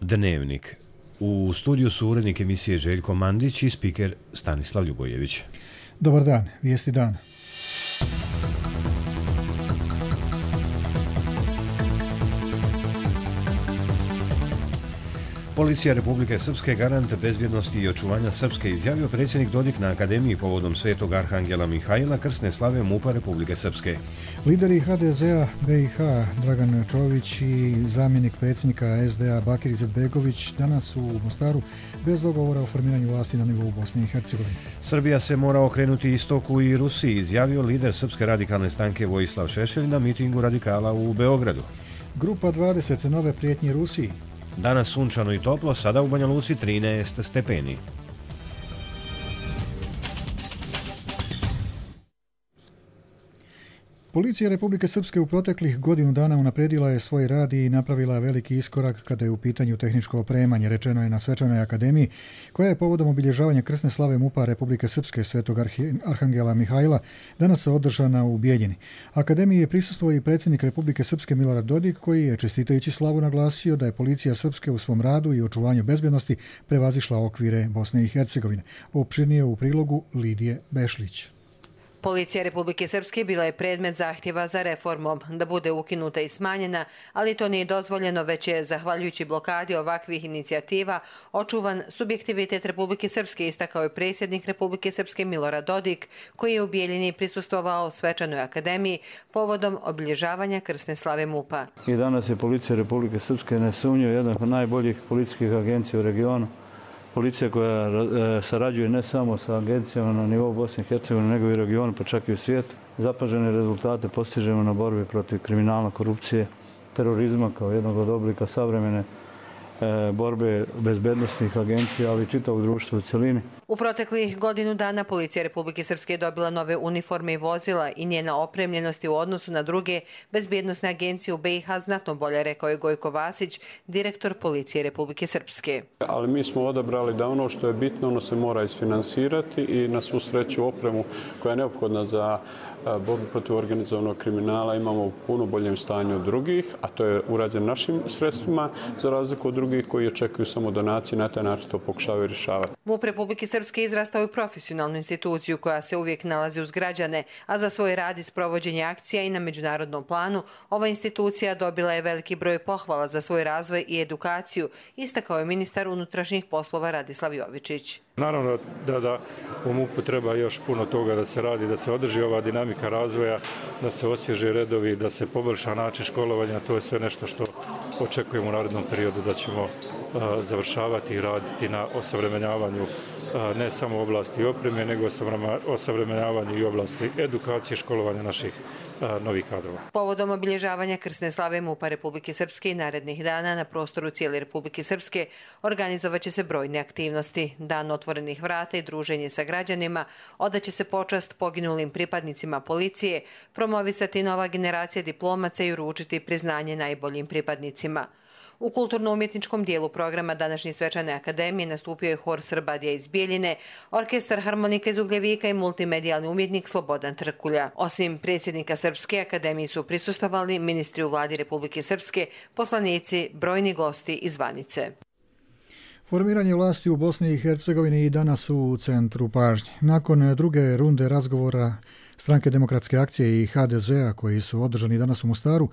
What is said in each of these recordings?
Dnevnik. U studiju su urednik emisije Željko Mandić i spiker Stanislav Ljubojević. Dobar dan, vijesti dana. Policija Republike Srpske garant bezbjednosti i očuvanja Srpske izjavio predsjednik Dodik na Akademiji povodom Svetog Arhangela Mihajla krsne slave MUP-a Republike Srpske. Lideri HDZ-a BiH Dragan Čović i zamjenik predsjednika SDA Bakir Izetbegović danas su u Mostaru bez dogovora o formiranju vlasti na nivou Bosne i Hercegovine. Srbija se mora okrenuti istoku i Rusiji, izjavio lider Srpske radikalne stranke Vojislav Šešelj na mitingu radikala u Beogradu. Grupa 20 nove prijetnje Rusiji. Danas sunčano i toplo, sada u Banja Luci 13 stepeni. Policija Republike Srpske u proteklih godinu dana unaprijedila je svoj rad i napravila veliki iskorak kada je u pitanju tehničko opremanje, rečeno je na Svečanoj akademiji, koja je povodom obilježavanja krsne slave MUP-a Republike Srpske Svetog Arhangela Mihajla danas održana u Bijeljini. Akademiji je prisustvovao i predsjednik Republike Srpske Milorad Dodik, koji je čestitajući slavu naglasio da je policija Srpske u svom radu i očuvanju bezbjednosti prevazišla okvire Bosne i Hercegovine. Opširnije u prilogu Lidije Bešlić. Policija Republike Srpske bila je predmet zahtjeva za reformom, da bude ukinuta i smanjena, ali to nije dozvoljeno, već je, zahvaljujući blokadi ovakvih inicijativa, očuvan subjektivitet Republike Srpske, istakao je predsjednik Republike Srpske Milorad Dodik, koji je u Bijeljini prisustvovao Svečanoj akademiji povodom obilježavanja krsne slave MUP-a. I danas je Policija Republike Srpske nesumnjivo jedna od najboljih policijskih agencija u regionu. Policija koja sarađuje ne samo sa agencijama na nivou Bosne i Hercegovine, nego i regionu, pa čak i u svijetu. Zapažene rezultate postižemo na borbi protiv kriminala, korupcije, terorizma kao jednog od oblika savremene borbe bezbednosnih agencija, ali i čitavog društva u cjelini. U proteklih godinu dana Policija Republike Srpske je dobila nove uniforme i vozila i njena opremljenost u odnosu na druge bezbjednosne agencije u BiH znatno bolje, rekao je Gojko Vasić, direktor Policije Republike Srpske. Ali mi smo odabrali da ono što je bitno, ono se mora isfinansirati i na svu sreću opremu koja je neophodna za borbu protiv organizovanog kriminala imamo u puno boljem stanju od drugih, a to je urađeno našim sredstvima, za razliku od drugih koji očekuju samo donacije, na taj način to pokušavaju rješavati. MUP Republike Srpske izrastao u profesionalnu instituciju koja se uvijek nalazi uz građane, a za svoj rad i sprovođenje akcija i na međunarodnom planu ova institucija dobila je veliki broj pohvala za svoj razvoj i edukaciju, istakao je ministar unutrašnjih poslova Radislav Jovičić. Naravno da u MUP-u treba još puno toga da se radi, da se održi ova dinamika razvoja, da se osvježe redovi, da se poboljša način školovanja. To je sve nešto što očekujemo u narednom periodu da ćemo završavati i raditi na osavremenjavanju ne samo oblasti opreme, nego osavremenjavanju i oblasti edukacije i školovanja naših novih kadrova. Povodom obilježavanja krsne slave MUP-a Republike Srpske i narednih dana na prostoru cijele Republike Srpske organizovat će se brojne aktivnosti. Dan otvorenih vrata i druženje sa građanima, odaće se počast poginulim pripadnicima policije, promovisati nova generacija diplomaca i uručiti priznanje najboljim pripadnicima. U kulturno-umjetničkom dijelu programa današnje Svečane akademije nastupio je hor Srbadija iz Bijeljine, orkestar harmonika iz Ugljevika i multimedijalni umjetnik Slobodan Trkulja. Osim predsjednika Srpske akademije su prisustvovali ministri u vladi Republike Srpske, poslanici, brojni gosti i zvanice. Formiranje vlasti u Bosni i Hercegovini i danas su u centru pažnje. Nakon druge runde razgovora Stranke demokratske akcije i HDZ-a koji su održani danas u Mostaru,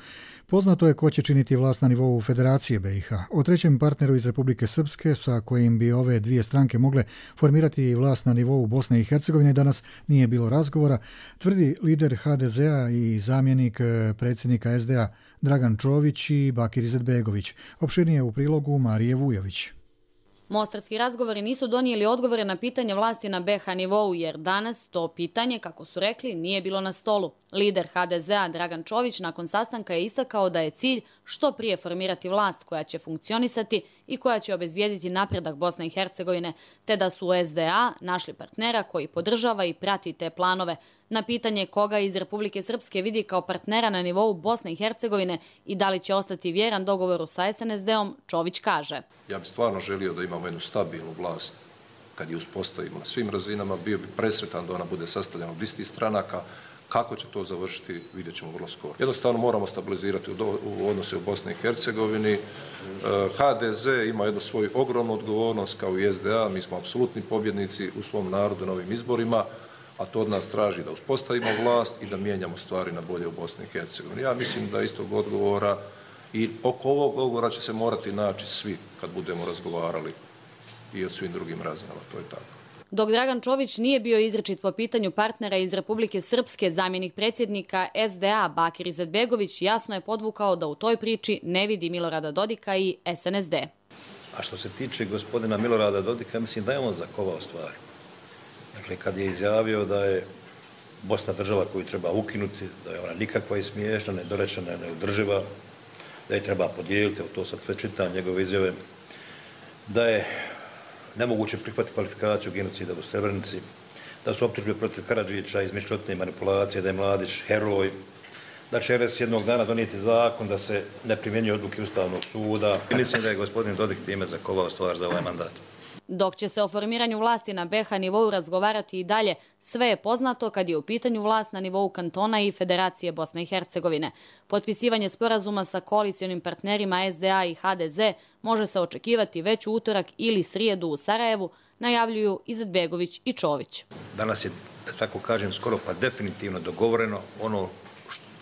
poznato je ko će činiti vlast na nivou Federacije BiH. O trećem partneru iz Republike Srpske sa kojim bi ove dvije stranke mogle formirati vlast na nivou Bosne i Hercegovine danas nije bilo razgovora, tvrdi lider HDZ-a i zamjenik predsjednika SDA Dragan Čović i Bakir Izetbegović. Opširnije u prilogu Marije Vujović. Mostarski razgovori nisu donijeli odgovore na pitanje vlasti na BiH nivou, jer danas to pitanje, kako su rekli, nije bilo na stolu. Lider HDZ-a Dragan Čović nakon sastanka je istakao da je cilj što prije formirati vlast koja će funkcionisati i koja će obezbijediti napredak Bosne i Hercegovine, te da su u SDA našli partnera koji podržava i prati te planove. Na pitanje koga iz Republike Srpske vidi kao partnera na nivou Bosne i Hercegovine i da li će ostati vjeran dogovoru sa SNSD-om, Čović kaže: Ja bih stvarno želio da imamo jednu stabilnu vlast. Kad je uspostavimo na svim razinama, bio bi presretan da ona bude sastavljena od istih stranaka, Kako će to završiti, vidjet ćemo vrlo skoro. Jednostavno moramo stabilizirati u odnose u Bosni i Hercegovini. HDZ ima jednu svoju ogromnu odgovornost kao i SDA. Mi smo apsolutni pobjednici u svom narodu na ovim izborima, a to od nas traži da uspostavimo vlast i da mijenjamo stvari na bolje u Bosni i Hercegovini. Ja mislim da istog odgovora i oko ovog odgovora će se morati naći svi kad budemo razgovarali i o svim drugim razinama. To je tako. Dok Dragan Čović nije bio izričit po pitanju partnera iz Republike Srpske, zamjenik predsjednika SDA Bakir Izetbegović jasno je podvukao da u toj priči ne vidi Milorada Dodika i SNSD. A što se tiče gospodina Milorada Dodika, mislim da je on zakovao stvari. Dakle, kad je izjavio da je Bosna država koju treba ukinuti, da je ona nikakva i smiješna, nedorečena, neodrživa, da je treba podijeliti, to sad sve čitam njegove izjave, da je nemoguće prihvatiti kvalifikaciju genocida u Srebrenici, da su optužbe protiv Karadžića, izmišljotne manipulacije, da je Mladić heroj, da će RS jednog dana donijeti zakon da se ne primjenjuje odluke Ustavnog suda. I mislim da je gospodin Dodik time zakovao stvar za ovaj mandat. Dok će se o formiranju vlasti na BiH nivou razgovarati i dalje, sve je poznato kad je u pitanju vlast na nivou kantona i Federacije Bosne i Hercegovine. Potpisivanje sporazuma sa koalicionim partnerima SDA i HDZ može se očekivati već u utorak ili srijedu u Sarajevu, najavljuju Izetbegović i Čović. Danas je, da tako kažem, skoro pa definitivno dogovoreno ono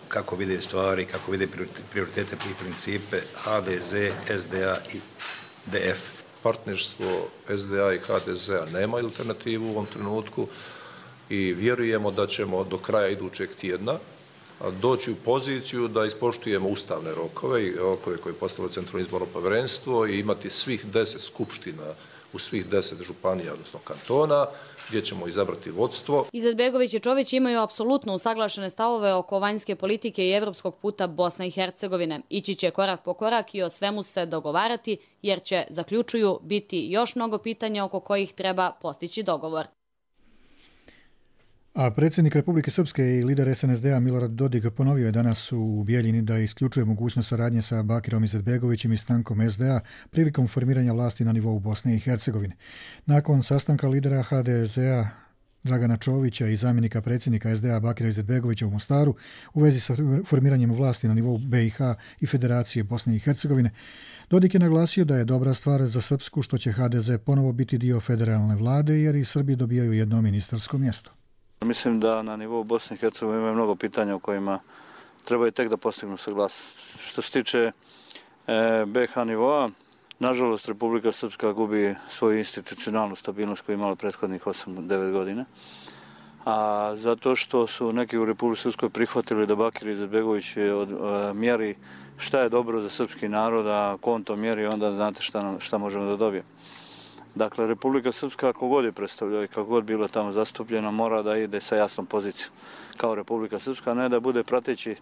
kako vide stvari, kako vide prioritete i principe HDZ, SDA i DF. Partnerstvo SDA i HDZ-a nema alternativu u ovom trenutku i vjerujemo da ćemo do kraja idućeg tjedna doći u poziciju da ispoštujemo ustavne rokove i rokove koje je postavilo Centralno izborno povjerenstvo i imati svih 10 skupština u svih 10 županija, odnosno kantona, gdje ćemo izabrati vodstvo. Izetbegović i Čović imaju apsolutno usaglašene stavove oko vanjske politike i evropskog puta Bosne i Hercegovine. Ići će korak po korak i o svemu se dogovarati, jer će, zaključuju, biti još mnogo pitanja oko kojih treba postići dogovor. A predsjednik Republike Srpske i lider SNSD-a Milorad Dodik ponovio je danas u Bijeljini da isključuje mogućnost saradnje sa Bakirom Izetbegovićem i strankom SDA prilikom formiranja vlasti na nivou Bosne i Hercegovine. Nakon sastanka lidera HDZ-a Dragana Čovića i zamjenika predsjednika SDA Bakira Izetbegovića u Mostaru u vezi sa formiranjem vlasti na nivou BiH i Federacije Bosne i Hercegovine, Dodik je naglasio da je dobra stvar za Srpsku što će HDZ ponovo biti dio federalne vlade jer i Srbi dobijaju jedno ministarsko mjesto. Mislim da na nivou Bosne i Hercegovine ima mnogo pitanja u kojima trebaju tek da postignu saglasnost. Što se tiče BiH nivoa, nažalost Republika Srpska gubi svoju institucionalnu stabilnost koju je imala prethodnih 8-9 godina. A zato što su neki u Republici Srpskoj prihvatili da Bakir Izetbegović mjeri šta je dobro za srpski narod, a ko on to mjeri, onda znate šta možemo da dobijemo. Dakle, Republika Srpska, kako god je predstavljala i kako god bila tamo zastupljena, mora da ide sa jasnom pozicijom kao Republika Srpska, a ne da bude prateći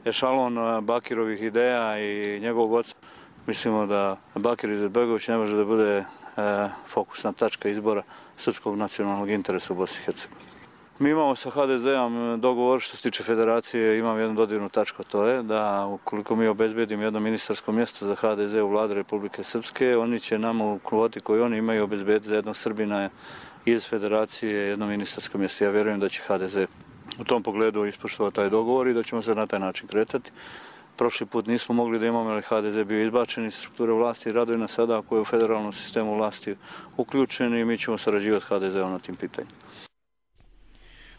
ešalon Bakirovih ideja i njegovog oca. Mislimo da Bakir Izetbegović ne može da bude fokusna tačka izbora srpskog nacionalnog interesa u Bosni i Hercegovini. Mi imamo sa HDZ-om dogovor što se tiče federacije, imam jednu dodirnu tačku, to je da ukoliko mi obezbedimo jedno ministarsko mjesto za HDZ u vladi Republike Srpske, oni će nama u kvoti koju oni imaju obezbediti za jednog Srbina iz federacije jedno ministarsko mjesto. Ja vjerujem da će HDZ u tom pogledu ispoštovati taj dogovor i da ćemo se na taj način kretati. Prošli put nismo mogli da imamo, ali HDZ bio izbačen iz strukture vlasti i raduje nas sada ako je u federalnom sistemu vlasti uključen i mi ćemo sarađivati HDZ-om na tim pitanjima.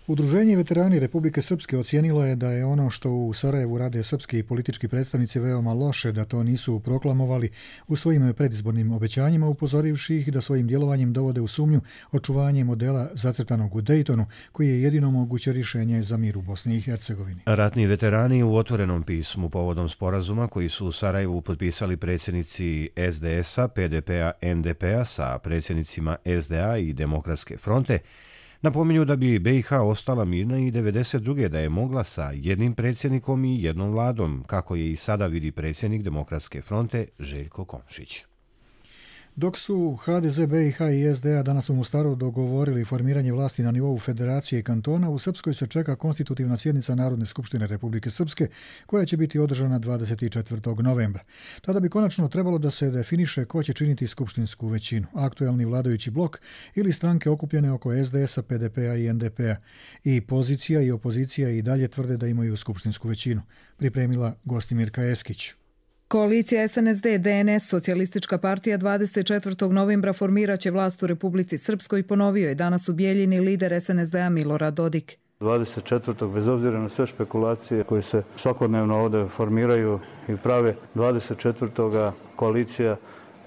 Udruženje veterani Republike Srpske ocijenilo je da je ono što u Sarajevu rade srpski politički predstavnici veoma loše, da to nisu proklamovali u svojim predizbornim obećanjima, upozorivši ih da svojim djelovanjem dovode u sumnju očuvanje modela zacrtanog u Dejtonu, koji je jedino moguće rješenje za mir u Bosni i Hercegovini. Ratni veterani u otvorenom pismu povodom sporazuma koji su u Sarajevu potpisali predsjednici SDS-a, PDP-a, NDP-a sa predsjednicima SDA i Demokratske fronte, napominju da bi BiH ostala mirna i 92. da je mogla sa jednim predsjednikom i jednom vladom, kako je i sada vidi predsjednik Demokratske fronte Željko Komšić. Dok su HDZ, BiH i SDA danas u Mostaru dogovorili formiranje vlasti na nivou federacije i kantona, u Srpskoj se čeka konstitutivna sjednica Narodne skupštine Republike Srpske, koja će biti održana 24. novembra. Tada bi konačno trebalo da se definiše ko će činiti skupštinsku većinu, aktuelni vladajući blok ili stranke okupljene oko SDS-a, PDP-a i NDP-a. I pozicija i opozicija i dalje tvrde da imaju skupštinsku većinu. Pripremila Gostimirka Eskić. Koalicija SNSD, DNS, Socijalistička partija 24. novembra formirat će vlast u Republici Srpskoj, ponovio je danas u Bijeljini lider SNSD-a Milorad Dodik. 24. bez obzira na sve špekulacije koje se svakodnevno ovdje formiraju i prave, 24. koalicija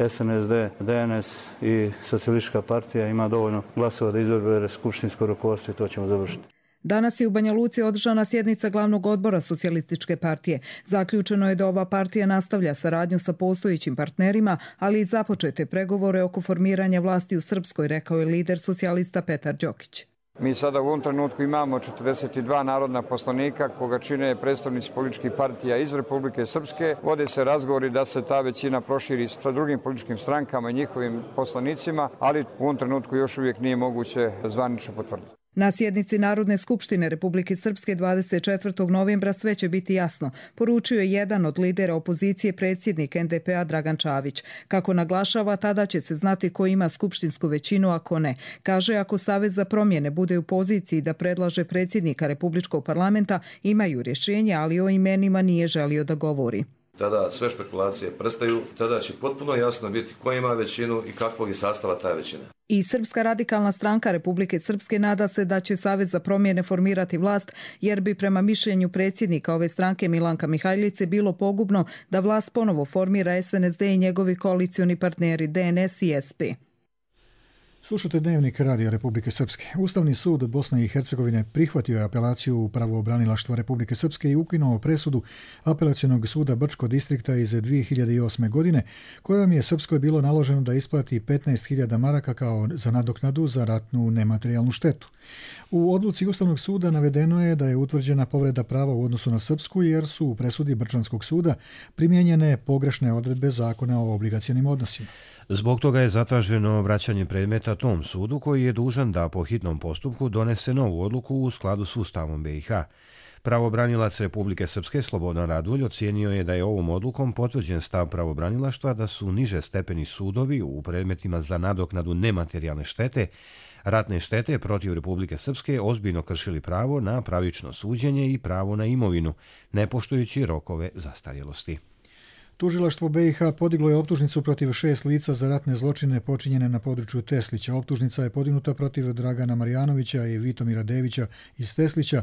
SNSD, DNS i Socijalistička partija ima dovoljno glasova da izabere skupštinsko rukovodstvo i to ćemo završiti. Danas je u Banja Luci održana sjednica glavnog odbora Socijalističke partije. Zaključeno je da ova partija nastavlja saradnju sa postojećim partnerima, ali i započete pregovore oko formiranja vlasti u Srpskoj, rekao je lider socijalista Petar Đokić. Mi sada u ovom trenutku imamo 42 narodna poslanika koga čine predstavnici političkih partija iz Republike Srpske. Vode se razgovori da se ta većina proširi sa drugim političkim strankama i njihovim poslanicima, ali u ovom trenutku još uvijek nije moguće zvanično potvrditi. Na sjednici Narodne skupštine Republike Srpske 24. novembra sve će biti jasno, poručio je jedan od lidera opozicije, predsjednik NDP-a Dragan Čavić. Kako naglašava, tada će se znati ko ima skupštinsku većinu, a ko ne. Kaže, ako Savez za promjene bude u poziciji da predlaže predsjednika Republičkog parlamenta, imaju rješenje, ali o imenima nije želio da govori. Tada sve špekulacije prestaju, tada će potpuno jasno biti ko ima većinu i kakvog je sastava ta većina. I Srpska radikalna stranka Republike Srpske nada se da će Savez za promjene formirati vlast, jer bi prema mišljenju predsjednika ove stranke Milanka Mihajlice bilo pogubno da vlast ponovo formira SNSD i njegovi koalicioni partneri DNS i SP. Slušate Dnevnik Radija Republike Srpske. Ustavni sud Bosne i Hercegovine prihvatio je apelaciju pravobranilaštva Republike Srpske i ukinuo presudu apelacionog suda Brčko distrikta iz 2008. godine, kojom je Srpskoj bilo naloženo da isplati 15.000 maraka kao za nadoknadu za ratnu nematerijalnu štetu. U odluci Ustavnog suda navedeno je da je utvrđena povreda prava u odnosu na Srpsku, jer su u presudi Brčanskog suda primijenjene pogrešne odredbe zakona o obligacionim odnosima. Zbog toga je zatraženo vraćanje predmeta tom sudu, koji je dužan da po hitnom postupku donese novu odluku u skladu s Ustavom BiH. Pravobranilac Republike Srpske Slobodan Radulj ocijenio je da je ovom odlukom potvrđen stav pravobranilaštva da su niže stepeni sudovi u predmetima za nadoknadu nematerijalne štete, ratne štete protiv Republike Srpske ozbiljno kršili pravo na pravično suđenje i pravo na imovinu, ne poštujući rokove zastarjelosti. Tužilaštvo BiH podiglo je optužnicu protiv 6 lica za ratne zločine počinjene na području Teslića. Optužnica je podignuta protiv Dragana Marjanovića i Vitomira Devića iz Teslića,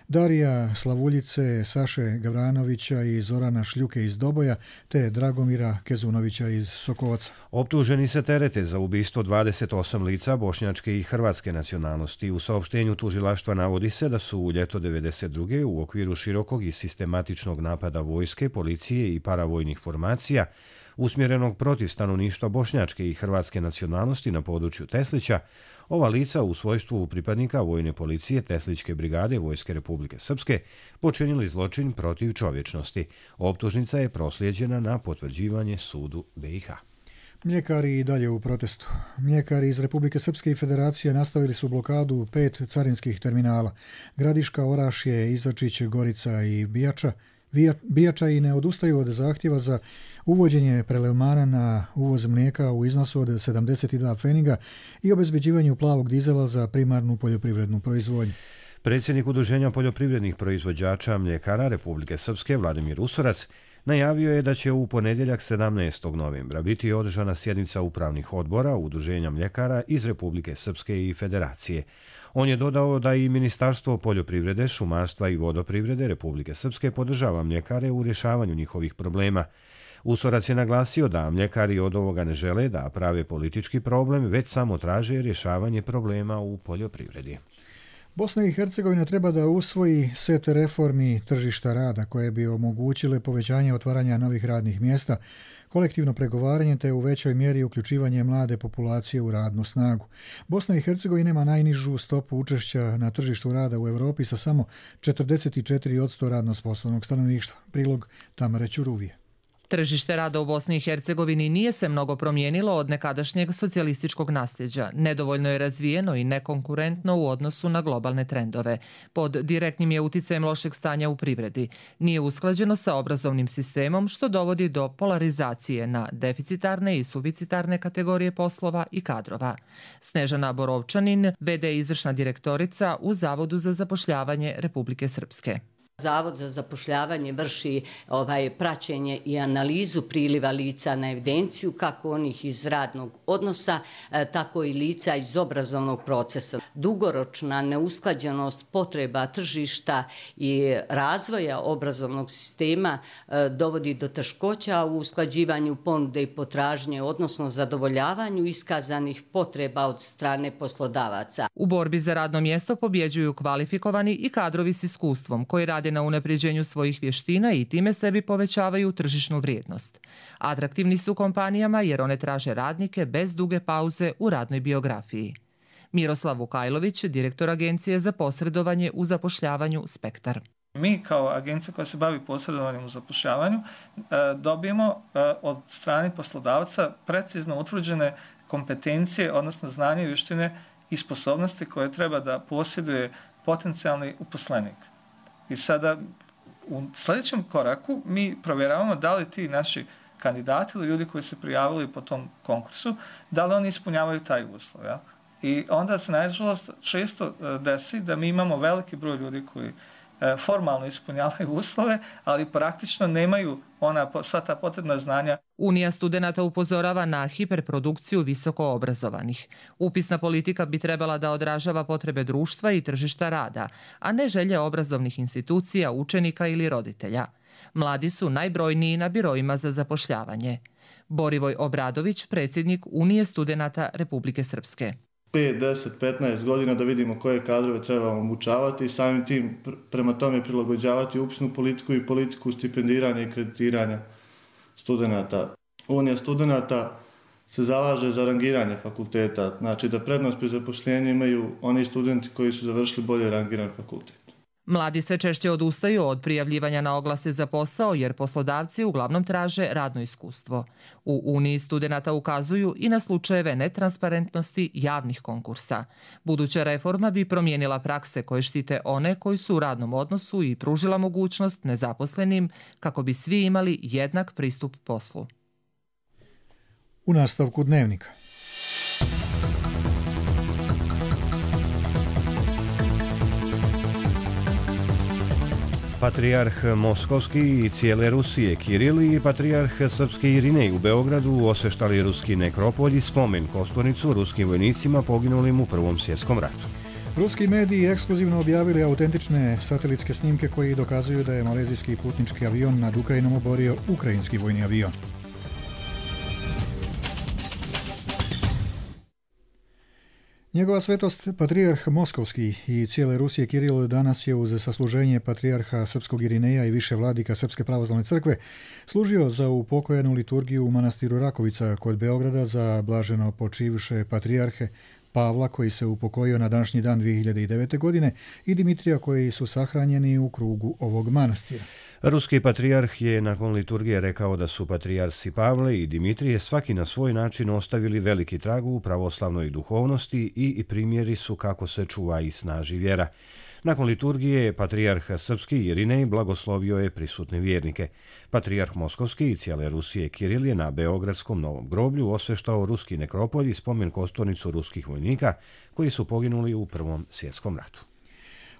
Darija Slavuljice, Saše Gavranovića i Zorana Šljuke iz Doboja, te Dragomira Kezunovića iz Sokovaca. Optuženi se terete za ubistvo 28 lica bošnjačke i hrvatske nacionalnosti. U saopštenju tužilaštva navodi se da su u ljeto 1992. u okviru širokog i sistematičnog napada vojske, policije i paravojnih formacija usmjerenog protiv stanovništva bošnjačke i hrvatske nacionalnosti na području Teslića, ova lica u svojstvu pripadnika vojne policije Teslićke brigade Vojske Republike Srpske počinili zločin protiv čovječnosti. Optužnica je proslijeđena na potvrđivanje sudu BiH. Mljekari i dalje u protestu. Mljekari iz Republike Srpske i Federacije nastavili su blokadu 5 carinskih terminala: Gradiška, Orašje, Izačić, Gorica i Bijača i ne odustaju od zahtjeva za uvođenje prelevmana na uvoz mlijeka u iznosu od 72 pfeniga i obezbeđivanju plavog dizela za primarnu poljoprivrednu proizvodnju. Predsjednik Udruženja poljoprivrednih proizvođača mljekara Republike Srpske Vladimir Usorac najavio je da će u ponedjeljak 17. novembra biti održana sjednica upravnih odbora Udruženja mljekara iz Republike Srpske i Federacije. On je dodao da i Ministarstvo poljoprivrede, šumarstva i vodoprivrede Republike Srpske podržava mljekare u rješavanju njihovih problema. Usorac je naglasio da mljekari od ovoga ne žele da prave politički problem, već samo traže rješavanje problema u poljoprivredi. Bosna i Hercegovina treba da usvoji set reformi tržišta rada koje bi omogućile povećanje otvaranja novih radnih mjesta, kolektivno pregovaranje te u većoj mjeri uključivanje mlade populacije u radnu snagu. Bosna i Hercegovina ima najnižu stopu učešća na tržištu rada u Europi sa samo 44% radno sposobnog stanovništva. Prilog Tamare Ćuruvije. Tržište rada u Bosni i Hercegovini nije se mnogo promijenilo od nekadašnjeg socijalističkog nasljeđa. Nedovoljno je razvijeno i nekonkurentno u odnosu na globalne trendove. Pod direktnim je uticajem lošeg stanja u privredi. Nije usklađeno sa obrazovnim sistemom, što dovodi do polarizacije na deficitarne i suficitarne kategorije poslova i kadrova. Snežana Borovčanin, v.d. izvršna direktorica u Zavodu za zapošljavanje Republike Srpske. Zavod za zapošljavanje vrši praćenje i analizu priliva lica na evidenciju, kako onih iz radnog odnosa, tako i lica iz obrazovnog procesa. Dugoročna neusklađenost potreba tržišta i razvoja obrazovnog sistema dovodi do teškoća u usklađivanju ponude i potražnje, odnosno zadovoljavanju iskazanih potreba od strane poslodavaca. U borbi za radno mjesto pobjeđuju kvalifikovani i kadrovi s iskustvom koji rade na unapređenju svojih vještina i time sebi povećavaju tržišnu vrijednost. Atraktivni su kompanijama jer one traže radnike bez duge pauze u radnoj biografiji. Miroslav Vukajlović, direktor Agencije za posredovanje u zapošljavanju Spektar. Mi kao agencija koja se bavi posredovanjem u zapošljavanju dobijemo od strane poslodavca precizno utvrđene kompetencije, odnosno znanje, vještine i sposobnosti koje treba da posjeduje potencijalni uposlenik. I sada u sljedećem koraku mi provjeravamo da li ti naši kandidati ili ljudi koji se prijavili po tom konkursu, da li oni ispunjavaju taj uslov. Ja? I onda se nažalost često desi da mi imamo veliki broj ljudi koji formalno ispunjavaju uslove, ali praktično nemaju sva ta potrebna znanja. Unija studenata upozorava na hiperprodukciju visoko obrazovanih. Upisna politika bi trebala da odražava potrebe društva i tržišta rada, a ne želje obrazovnih institucija, učenika ili roditelja. Mladi su najbrojniji na biroima za zapošljavanje. Borivoj Obradović, predsjednik Unije studenata Republike Srpske. 5, 10, 15 godina da vidimo koje kadrove trebamo obučavati i samim tim prema tome prilagođavati upisnu politiku i politiku stipendiranja i kreditiranja studenata. Unija studenata se zalaže za rangiranje fakulteta, znači da prednost pri zapošljenju imaju oni studenti koji su završili bolje rangiran fakultet. Mladi sve češće odustaju od prijavljivanja na oglase za posao jer poslodavci uglavnom traže radno iskustvo. U Uniji studenata ukazuju i na slučajeve netransparentnosti javnih konkursa. Buduća reforma bi promijenila prakse koje štite one koji su u radnom odnosu i pružila mogućnost nezaposlenim kako bi svi imali jednak pristup poslu. U nastavku dnevnika. Patrijarh Moskovski i cijele Rusije Kiril i patrijarh srpski Irinej u Beogradu osveštali ruski nekropolj i spomen kosturnicu ruskim vojnicima poginulim u Prvom svjetskom ratu. Ruski mediji ekskluzivno objavili autentične satelitske snimke koji dokazuju da je malezijski putnički avion nad Ukrajinom oborio ukrajinski vojni avion. Njegova svetost, patrijarh Moskovski i cijele Rusije Kiril danas je uz sasluženje patrijarha srpskog Irineja i više vladika Srpske pravoslavne crkve služio za upokojenu liturgiju u manastiru Rakovica kod Beograda za blaženo počivše patrijarhe Pavla koji se upokojio na današnji dan 2009. godine i Dimitrija koji su sahranjeni u krugu ovog manastira. Ruski patrijarh je nakon liturgije rekao da su patrijarsi Pavle i Dimitrije svaki na svoj način ostavili veliki trag u pravoslavnoj duhovnosti i primjeri su kako se čuva i snaži vjera. Nakon liturgije, patrijarh srpski Irinej blagoslovio je prisutne vjernike. Patrijarh Moskovski i cijele Rusije Kiril je na Beogradskom Novom groblju osveštao ruski nekropolj i spomen kosturnicu ruskih vojnika koji su poginuli u Prvom svjetskom ratu.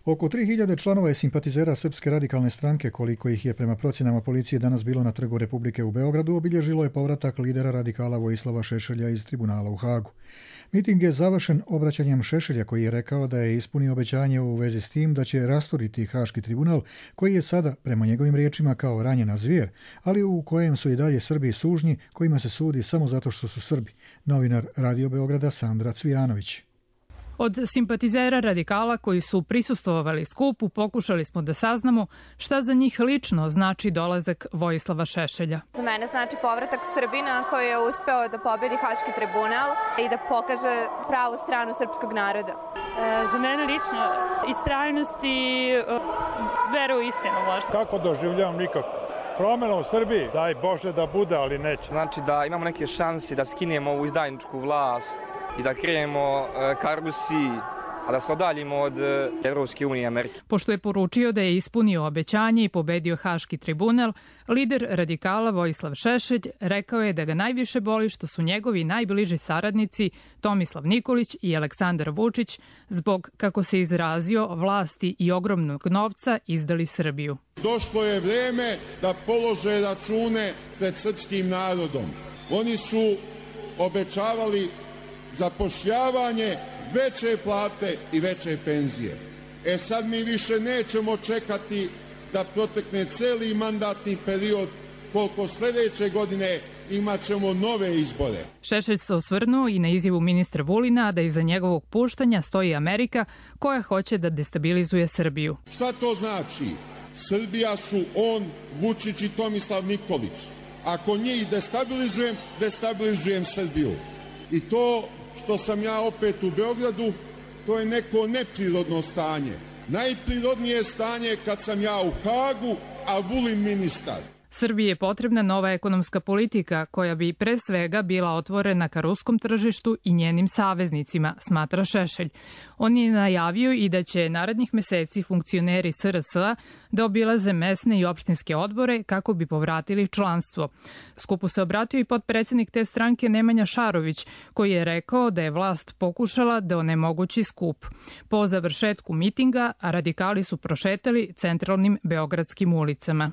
Oko 3000 članova i simpatizera Srpske radikalne stranke, koliko ih je prema procjenama policije danas bilo na Trgu Republike u Beogradu, obilježilo je povratak lidera radikala Vojislava Šešelja iz tribunala u Hagu. Miting je završen obraćanjem Šešelja koji je rekao da je ispunio obećanje u vezi s tim da će rasturiti Haški tribunal koji je sada, prema njegovim riječima, kao ranjena zvijer, ali u kojem su i dalje Srbi sužnji kojima se sudi samo zato što su Srbi. Novinar Radio Beograda Sandra Cvijanović. Od simpatizera radikala koji su prisustvovali skupu pokušali smo da saznamo šta za njih lično znači dolazak Vojislava Šešelja. Za mene znači povratak Srbina koji je uspeo da pobedi Haški tribunal i da pokaže pravu stranu srpskog naroda. Za mene lično istrajnost i vera u istinu možda. Kako doživljavam nikako. promjena u Srbiji, daj Bože da bude, ali neće. Znači da imamo neke šanse da skinemo ovu izdajničku vlast i da krenemo ka Rusiji, a da se odaljimo od Evropske unije i Amerike. Pošto je poručio da je ispunio obećanje i pobedio Haški tribunal, lider radikala Vojislav Šešelj rekao je da ga najviše boli što su njegovi najbliži saradnici Tomislav Nikolić i Aleksandar Vučić zbog, kako se izrazio, vlasti i ogromnog novca izdali Srbiju. Došlo je vreme da polože račune pred srpskim narodom. Oni su obećavali zapošljavanje, veće plate i veće penzije. Sad mi više nećemo čekati da protekne celi mandatni period, koliko sljedeće godine imat ćemo nove izbore. Šešelj se osvrnuo i na izjavu ministra Vulina da iza njegovog puštanja stoji Amerika koja hoće da destabilizuje Srbiju. Šta to znači? Srbija su on, Vučić i Tomislav Nikolić. Ako njih destabilizujem Srbiju. I to što sam ja opet u Beogradu, to je neko neprirodno stanje. Najprirodnije stanje kad sam ja u Hagu, a Vulin ministar. Srbiji je potrebna nova ekonomska politika koja bi pre svega bila otvorena ka ruskom tržištu i njenim saveznicima, smatra Šešelj. On je najavio i da će narednih meseci funkcioneri SRS-a da obilaze mesne i opštinske odbore kako bi povratili članstvo. Skupu se obratio i potpredsednik te stranke Nemanja Šarović, koji je rekao da je vlast pokušala da onemogući skup. Po završetku mitinga, radikali su prošetali centralnim beogradskim ulicama.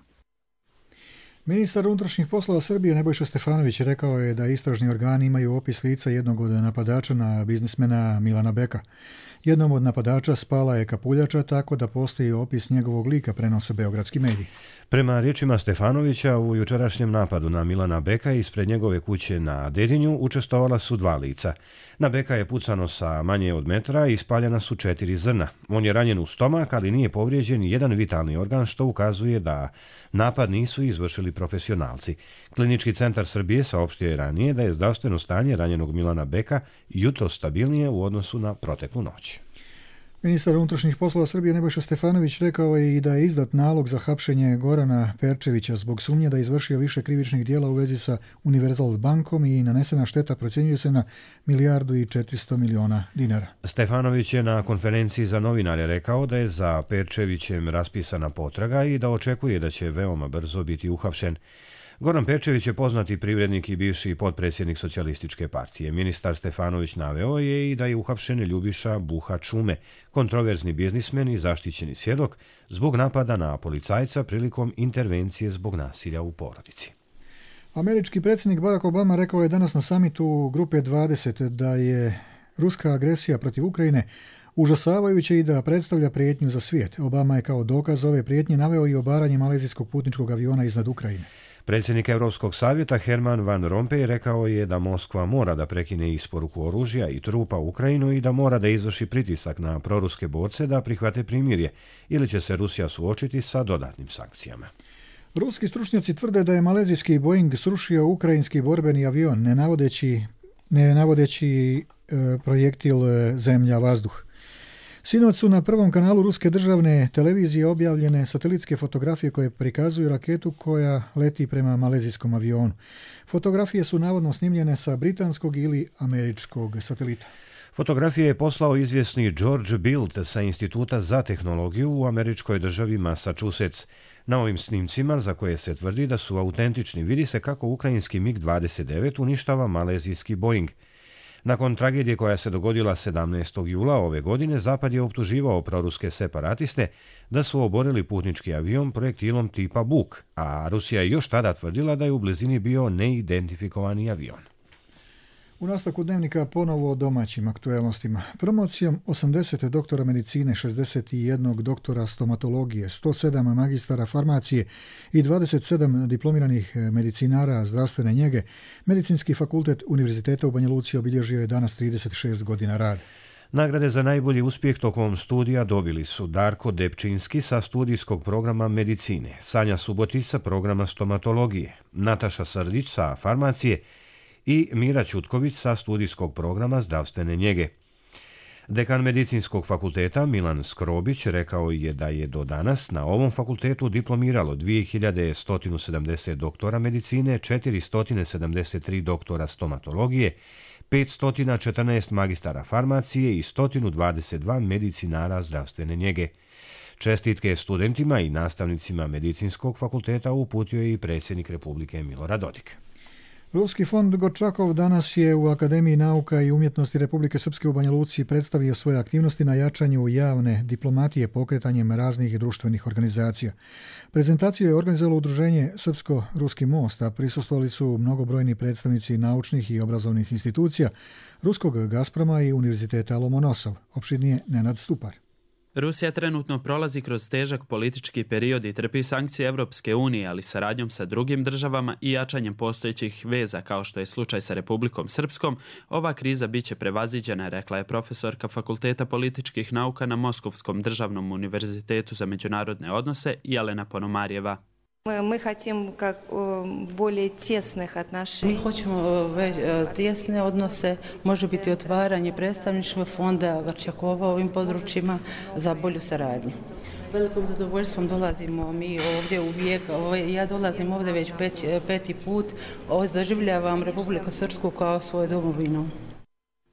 Ministar unutrašnjih poslova Srbije Nebojša Stefanović rekao je da istražni organi imaju opis lica jednog od napadača na biznismena Milana Beka. Jednom od napadača spala je kapuljača, tako da postoji opis njegovog lika, prenose beogradski mediji. Prema riječima Stefanovića, u jučerašnjem napadu na Milana Beka ispred njegove kuće na Dedinju učestvovala su 2 lica. Na Beka je pucano sa manje od metra i ispaljena su 4 zrna. On je ranjen u stomak, ali nije povrijeđen jedan vitalni organ, što ukazuje da napad nisu izvršili profesionalci. Klinički centar Srbije saopštio je ranije da je zdravstveno stanje ranjenog Milana Beka jutros stabilnije u odnosu na proteklu noć. Ministar unutrašnjih poslova Srbije Nebojša Stefanović rekao je i da je izdat nalog za hapšenje Gorana Perčevića zbog sumnje da je izvršio više krivičnih dijela u vezi sa Univerzal bankom i nanesena šteta procjenjuje se na 1,4 milijarde dinara. Stefanović je na konferenciji za novinare rekao da je za Perčevićem raspisana potraga i da očekuje da će veoma brzo biti uhapšen. Goran Perčević je poznati privrednik i bivši potpredsjednik Socijalističke partije. Ministar Stefanović naveo je i da je uhapšen Ljubiša Buha Čume, kontroverzni biznismen i zaštićeni svjedok zbog napada na policajca prilikom intervencije zbog nasilja u porodici. Američki predsjednik Barack Obama rekao je danas na samitu Grupe 20 da je ruska agresija protiv Ukrajine užasavajuće i da predstavlja prijetnju za svijet. Obama je kao dokaz ove prijetnje naveo i obaranje malezijskog putničkog aviona iznad Ukrajine. Predsjednik Europskog savjeta Herman Van Rompuy rekao je da Moskva mora da prekine isporuku oružja i trupa u Ukrajinu i da mora da izvrši pritisak na proruske borce da prihvate primirje ili će se Rusija suočiti sa dodatnim sankcijama. Ruski stručnjaci tvrde da je malezijski Boeing srušio ukrajinski borbeni avion ne navodeći projektil zemlja-vazduh. Sinoć su na prvom kanalu ruske državne televizije objavljene satelitske fotografije koje prikazuju raketu koja leti prema malezijskom avionu. Fotografije su navodno snimljene sa britanskog ili američkog satelita. Fotografije je poslao izvjesni George Bild sa Instituta za tehnologiju u američkoj državi Massachusetts. Na ovim snimcima, za koje se tvrdi da su autentični, vidi se kako ukrajinski MiG-29 uništava malezijski Boeing. Nakon tragedije koja se dogodila 17. jula ove godine, Zapad je optuživao proruske separatiste da su oborili putnički avion projektilom tipa Buk, a Rusija je još tada tvrdila da je u blizini bio neidentifikovani avion. U nastavku dnevnika ponovo o domaćim aktuelnostima. Promocijom 80 doktora medicine, 61 doktora stomatologije, 107 magistara farmacije i 27 diplomiranih medicinara zdravstvene njege, Medicinski fakultet Univerziteta u Banja Luci obilježio je danas 36 godina rada. Nagrade za najbolji uspjeh tokom studija dobili su Darko Depčinski sa studijskog programa medicine, Sanja Subotić sa programa stomatologije, Nataša Srdić sa farmacije i Mira Ćutković sa studijskog programa zdravstvene njege. Dekan Medicinskog fakulteta Milan Skrobić rekao je da je do danas na ovom fakultetu diplomiralo 2170 doktora medicine, 473 doktora stomatologije, 514 magistara farmacije i 122 medicinara zdravstvene njege. Čestitke studentima i nastavnicima Medicinskog fakulteta uputio je i predsjednik Republike Milorad Dodik. Ruski fond Gorčakov danas je u Akademiji nauka i umjetnosti Republike Srpske u Banja Luci predstavio svoje aktivnosti na jačanju javne diplomatije pokretanjem raznih društvenih organizacija. Prezentaciju je organizovalo udruženje Srpsko-Ruski most, a prisustvovali su mnogobrojni predstavnici naučnih i obrazovnih institucija, ruskog Gazproma i Univerziteta Lomonosov. Opširnije Nenad Stupar. Rusija trenutno prolazi kroz težak politički period i trpi sankcije Evropske unije, ali saradnjom sa drugim državama i jačanjem postojećih veza, kao što je slučaj sa Republikom Srpskom, ova kriza biće prevaziđena, rekla je profesorka Fakulteta političkih nauka na Moskovskom državnom univerzitetu za međunarodne odnose Jelena Ponomarjeva. Mi hoćemo tjesne odnose, može biti otvaranje predstavništva fonda Gorčakova u ovim područjima za bolju saradnju. Velikom zadovoljstvom dolazimo mi ovdje uvijek, ja dolazim ovdje već peti put, doživljavam Republiku Srpsku kao svoju domovinu.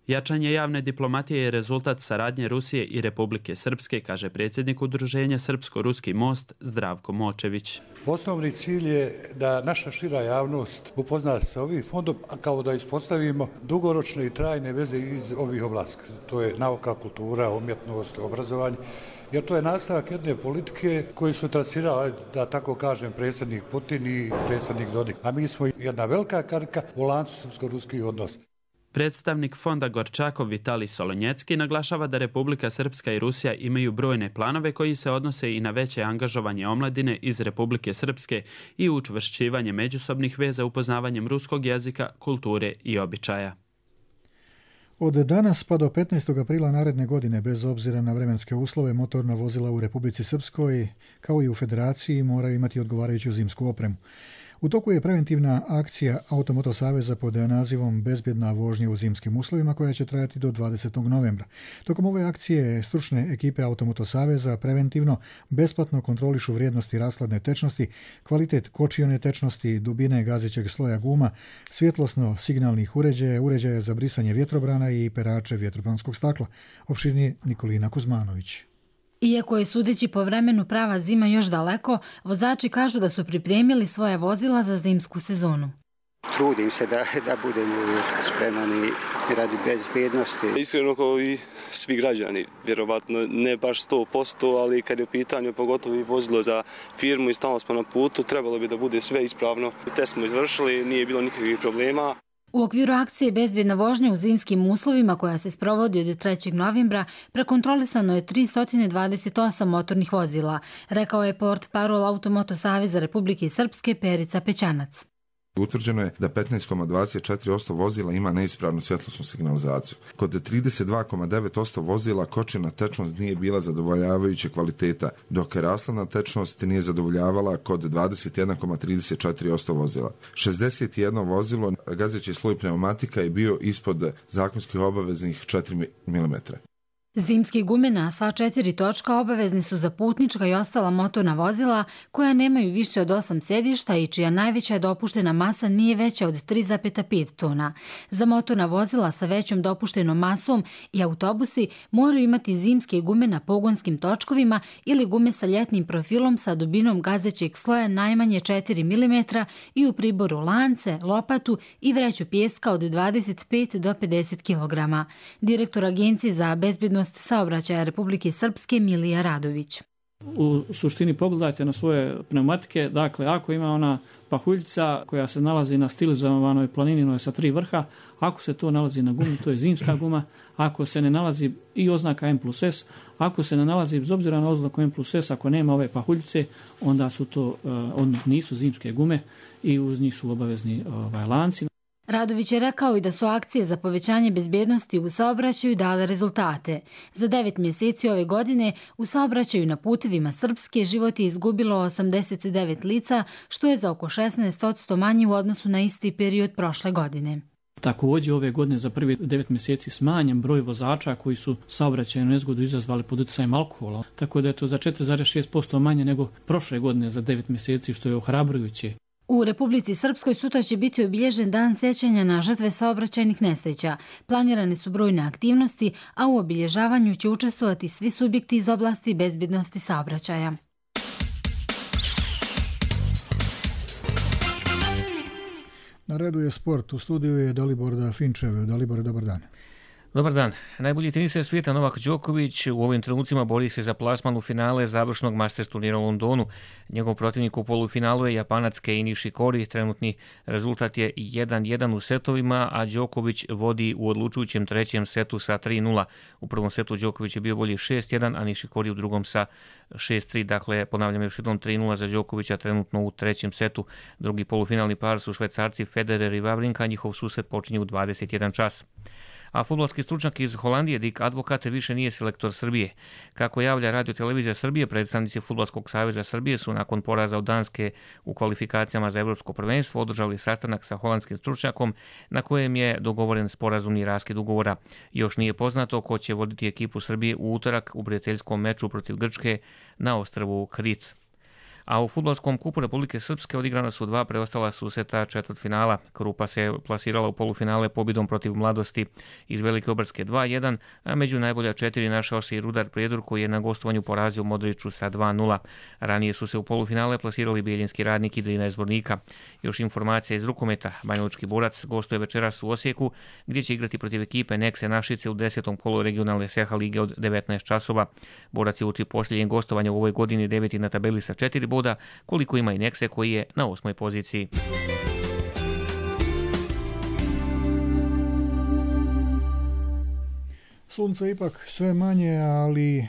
Jačanje javne diplomatije je rezultat saradnje Rusije i Republike Srpske, kaže predsjednik udruženja Srpsko-Ruski most Zdravko Močević. Osnovni cilj je da naša šira javnost upozna se sa ovim fondom, a kao da ispostavimo dugoročne i trajne veze iz ovih oblasti. To je nauka, kultura, umjetnost, obrazovanje, jer to je nastavak jedne politike koju su trasirali, da tako kažem, predsjednik Putin i predsjednik Dodik. A mi smo jedna velika karika u lancu srpsko-ruskih odnosa. Predstavnik fonda Gorčakov Vitalij Solonjecki naglašava da Republika Srpska i Rusija imaju brojne planove koji se odnose i na veće angažovanje omladine iz Republike Srpske i učvršćivanje međusobnih veza upoznavanjem ruskog jezika, kulture i običaja. Od danas pa do 15. aprila naredne godine, bez obzira na vremenske uslove, motorna vozila u Republici Srpskoj, kao i u Federaciji, moraju imati odgovarajuću zimsku opremu. U toku je preventivna akcija Automoto Saveza pod nazivom Bezbjedna vožnja u zimskim uslovima koja će trajati do 20. novembra. Tokom ove akcije stručne ekipe Automoto Saveza preventivno besplatno kontrolišu vrijednosti rashladne tečnosti, kvalitet kočione tečnosti, dubine gazećeg sloja guma, svjetlosno-signalnih uređaja, uređaja za brisanje vjetrobrana i perače vjetrobranskog stakla. Opširnije Nikolina Kuzmanović. Iako je sudeći po vremenu prava zima još daleko, vozači kažu da su pripremili svoje vozila za zimsku sezonu. Trudim se da budem spreman i radi bezbednosti. Iskreno kao i svi građani, vjerovatno ne baš 100%, ali kad je u pitanju pogotovo i vozilo za firmu i stalno smo na putu, trebalo bi da bude sve ispravno. Test smo izvršili, nije bilo nikakvih problema. U okviru akcije Bezbjedna vožnja u zimskim uslovima koja se sprovodi od 3. novembra prekontrolisano je 328 motornih vozila, rekao je portparol Automoto Saveza Republike Srpske Perica Pećanac. Utvrđeno je da 15,24% vozila ima neispravnu svjetlosnu signalizaciju. Kod 32,9% vozila kočena tečnost nije bila zadovoljavajuće kvaliteta, dok rashladna tečnost nije zadovoljavala kod 21,34% vozila. 61 vozilo gazeći sloj pneumatika je bio ispod zakonskih obaveznih 4 mm. Zimske gume na sva 4 točka obavezni su za putnička i ostala motorna vozila koja nemaju više od 8 sedišta i čija najveća dopuštena masa nije veća od 3,5 tona. Za motorna vozila sa većom dopuštenom masom i autobusi moraju imati zimske gume na pogonskim točkovima ili gume sa ljetnim profilom sa dubinom gazećeg sloja najmanje 4 mm i u priboru lance, lopatu i vreću pijeska od 25 do 50 kg. Direktor Agencije za bezbjednost saobraćaja Republike Srpske Milija Radović. U suštini pogledajte na svoje pneumatike, dakle ako ima ona pahuljica koja se nalazi na stilizovanoj planinoj sa 3 vrha, ako se to nalazi na gumi, to je zimska guma, ako se ne nalazi i oznaka M+S, ako se ne nalazi bez obzira na oznaku M+S, ako nema ove pahuljice, onda su to nisu zimske gume i uz njih su obavezni lanci. Radović je rekao i da su akcije za povećanje bezbjednosti u saobraćaju dale rezultate. Za 9 mjeseci ove godine u saobraćaju na putevima Srpske život je izgubilo 89 lica, što je za oko 16% manje u odnosu na isti period prošle godine. Također ove godine za prvi 9 mjeseci smanjen broj vozača koji su saobraćajnu nezgodu izazvali pod utjecajem alkohola, tako da je to za 4,6% manje nego prošle godine za 9 mjeseci, što je ohrabrujuće. U Republici Srpskoj sutra će biti obilježen dan sjećanja na žrtve saobraćajnih nesreća. Planirane su brojne aktivnosti, a u obilježavanju će učestvovati svi subjekti iz oblasti bezbednosti saobraćaja. Na redu je sport. U studiju je Dalibor Finčev. Dalibor, dobar dan. Dobar dan. Najbolji teniser svijeta Novak Đoković u ovim trenucima bori se za plasman u finale završnog Masters turnira u Londonu. Njegov protivnik u polufinalu je Japanac Kei Nishikori. Trenutni rezultat je 1-1 u setovima, a Đoković vodi u odlučujućem trećem setu sa 3-0. U prvom setu Đoković je bio bolji 6-1, a Nishikori u drugom sa 6-3. Dakle, ponavljam još jednom 3-0 za Đokovića trenutno u trećem setu. Drugi polufinalni par su Švajcarci Federer i Wawrinka. Njihov susret počinje u 21 čas. A fudbalski stručnjak iz Holandije Dick Advokat više nije selektor Srbije. Kako javlja Radio Televizija Srbije, predstavnici Fudbalskog saveza Srbije su nakon poraza od Danske u kvalifikacijama za Evropsko prvenstvo održali sastanak sa holandskim stručnjakom na kojem je dogovoren sporazumni raskid ugovora. Još nije poznato ko će voditi ekipu Srbije u utorak u prijateljskom meču protiv Grčke na ostrvu Krit. A u fudbalskom kupu Republike Srpske odigrana su 2 preostala susreta četvrtfinala. Krupa se plasirala u polufinale pobjedom protiv Mladosti iz Velike Obrske 2-1, a među najbolja 4 našao se i Rudar Prijedor koji je na gostovanju porazio Modriću sa 2-0. Ranije su se u polufinale plasirali Bijeljinski Radnik i Drina iz Zvornika. Još informacija iz rukometa. Banjalučki Borac gostuje večeras u Osijeku gdje će igrati protiv ekipe Nekse Našice u 10. kolu regionalne SEHA lige od 19 časova. Borac je uči posljednjem gostovanja u ovoj godini 9. na tabeli sa 4 boda, koliko ima i Nekse koji je na 8. poziciji. Sunce ipak sve manje, ali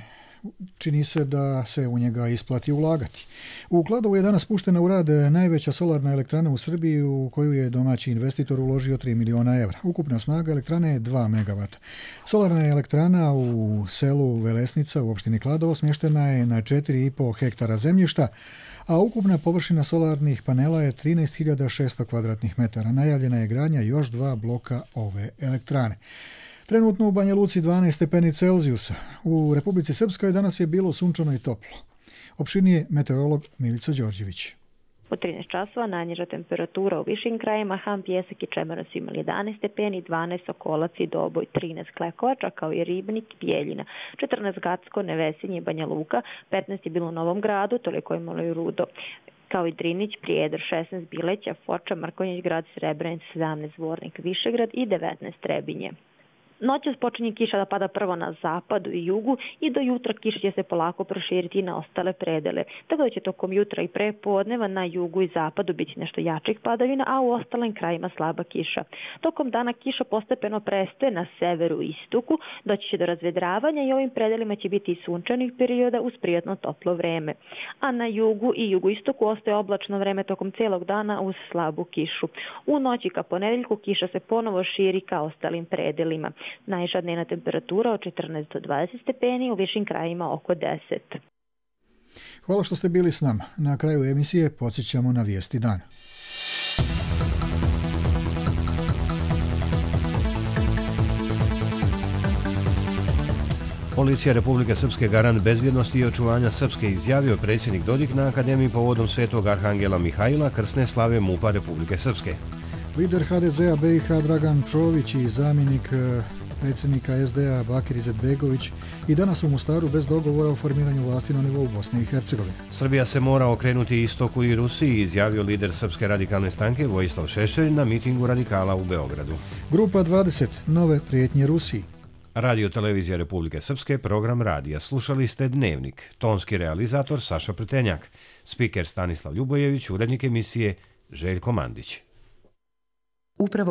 čini se da se u njega isplati ulagati. U Kladovu je danas puštena u rad najveća solarna elektrana u Srbiji u koju je domaći investitor uložio 3 miliona evra. Ukupna snaga elektrane je 2 megavata. Solarna elektrana u selu Velesnica u opštini Kladovo smještena je na 4,5 hektara zemljišta, a ukupna površina solarnih panela je 13.600 kvadratnih metara. Najavljena je gradnja još 2 bloka ove elektrane. Trenutno u Banja Luci 12 stepeni Celzijusa. U Republici Srpskoj danas je bilo sunčano i toplo. Opširnije meteorolog Milica Đorđević. U 13 časova najniža temperatura u višim krajima, Han, Pjesak i Čemeran su imali 11 stepeni, 12 Sokolac i Doboj, 13 Klekovača kao i Ribnik, Bijeljina, 14 Gacko, Nevesinje i Banja Luka, 15 je bilo u Novom Gradu, toliko je imalo i Rudo, kao i Drinić, Prijedor, 16 Bileća, Foča, Mrkonjić, Grad Srebrenic, 17 Zvornik, Višegrad i 19 Trebinje. Noćas počinje kiša da pada prvo na zapadu i jugu i do jutra kiša će se polako proširiti na ostale predele. Tako da će tokom jutra i prepodneva na jugu i zapadu biti nešto jačih padavina, a u ostalim krajima slaba kiša. Tokom dana kiša postepeno prestaje na severu i istoku, doći će do razvedravanja i ovim predelima će biti i sunčanih perioda uz prijatno toplo vreme. A na jugu i jugoistoku ostaje oblačno vreme tokom cijelog dana uz slabu kišu. U noći ka ponedeljku kiša se ponovo širi ka ostalim predelima. Najviša dnevna temperatura od 14 do 20 stepeni, u višim krajima oko 10. Hvala što ste bili s nama. Na kraju emisije podsjećamo na vijesti dana. Policija Republike Srpske garant bezbjednosti i očuvanja Srpske izjavio predsjednik Dodik na Akademiji povodom Svetog Arhangela Mihajla krsne slave MUP-a Republike Srpske. Lider HDZ-a BiH Dragan Čović i zamjenik predsjednika SDA Bakir Izetbegović i danas u Mostaru bez dogovora o formiranju vlasti na nivou Bosne i Hercegovine. Srbija se mora okrenuti istoku i Rusiji, izjavio lider Srpske radikalne stranke Vojislav Šešelj na mitingu radikala u Beogradu. Grupa 20. Nove prijetnje Rusiji. Radio Televizija Republike Srpske, program radija. Slušali ste Dnevnik. Tonski realizator Saša Pretenjak. Spiker Stanislav Ljubojević, urednik emisije Željko Mandić. Upravo